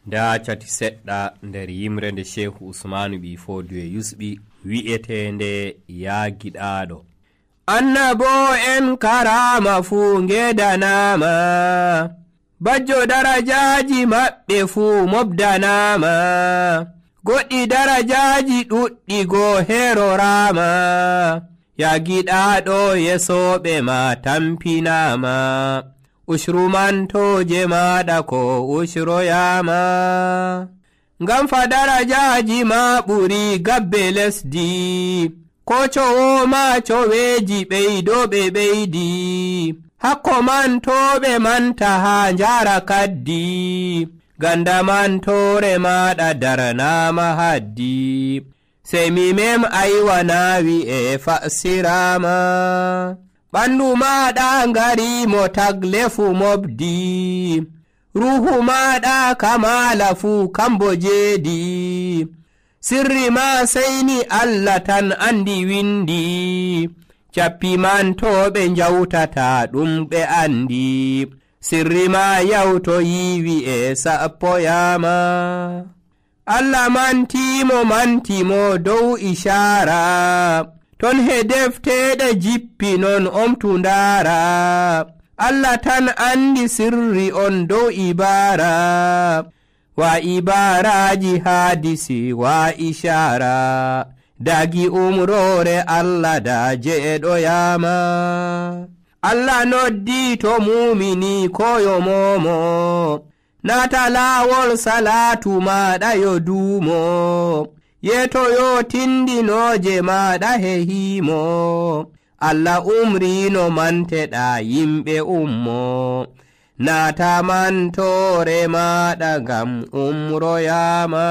nda cati seɗɗa nder yimre nde Shehu Usmanu ɓi Foodiyo yusɓi wi'etende yaagiɗaaɗo. Annabo en karama fuu ngedanama, bajjo darajaaji maɓɓe fuu mobdanama, goɗɗi darajaaji ɗuɗɗi goo herorama, yaagiɗaaɗo yesoɓe ma tampinama, ushrumantoje maɗa ko ushroyama, ngam fa darajaaji ma ɓuri gabbe lesdi, ko cowoma coweji ɓeydoɓe ɓeydi, hakko mantoɓe manta ha njara kaddi, ganda mantore maɗa daranama haddi, sey mimem aywana wi'e fasirama, ɓandu maɗa ngarimo tagle fu mobdi, ruhu maɗa kamala fu kambo jeedi, sirri ma seyni Allah tan andi windi, cappi mantoɓe njawtata ɗum ɓe andi, sirri ma yawtoyi wi'e sappoyama. Allah mantimo dow ishara, ton he defteɗe jippi non omtu ndara, Allah tan andi sirri on dow ibara, wa ibaraji hadisi wa ishara, dagi umrore Allah da jeɗoyama. Allah noddi to mumini koyo momo, nata lawol salatu maɗa yo dumo, yetoyo tindinoje maɗa he himo, Allah umrino manteɗa yimɓe ummo, nata mantore maɗa ngam umroyama.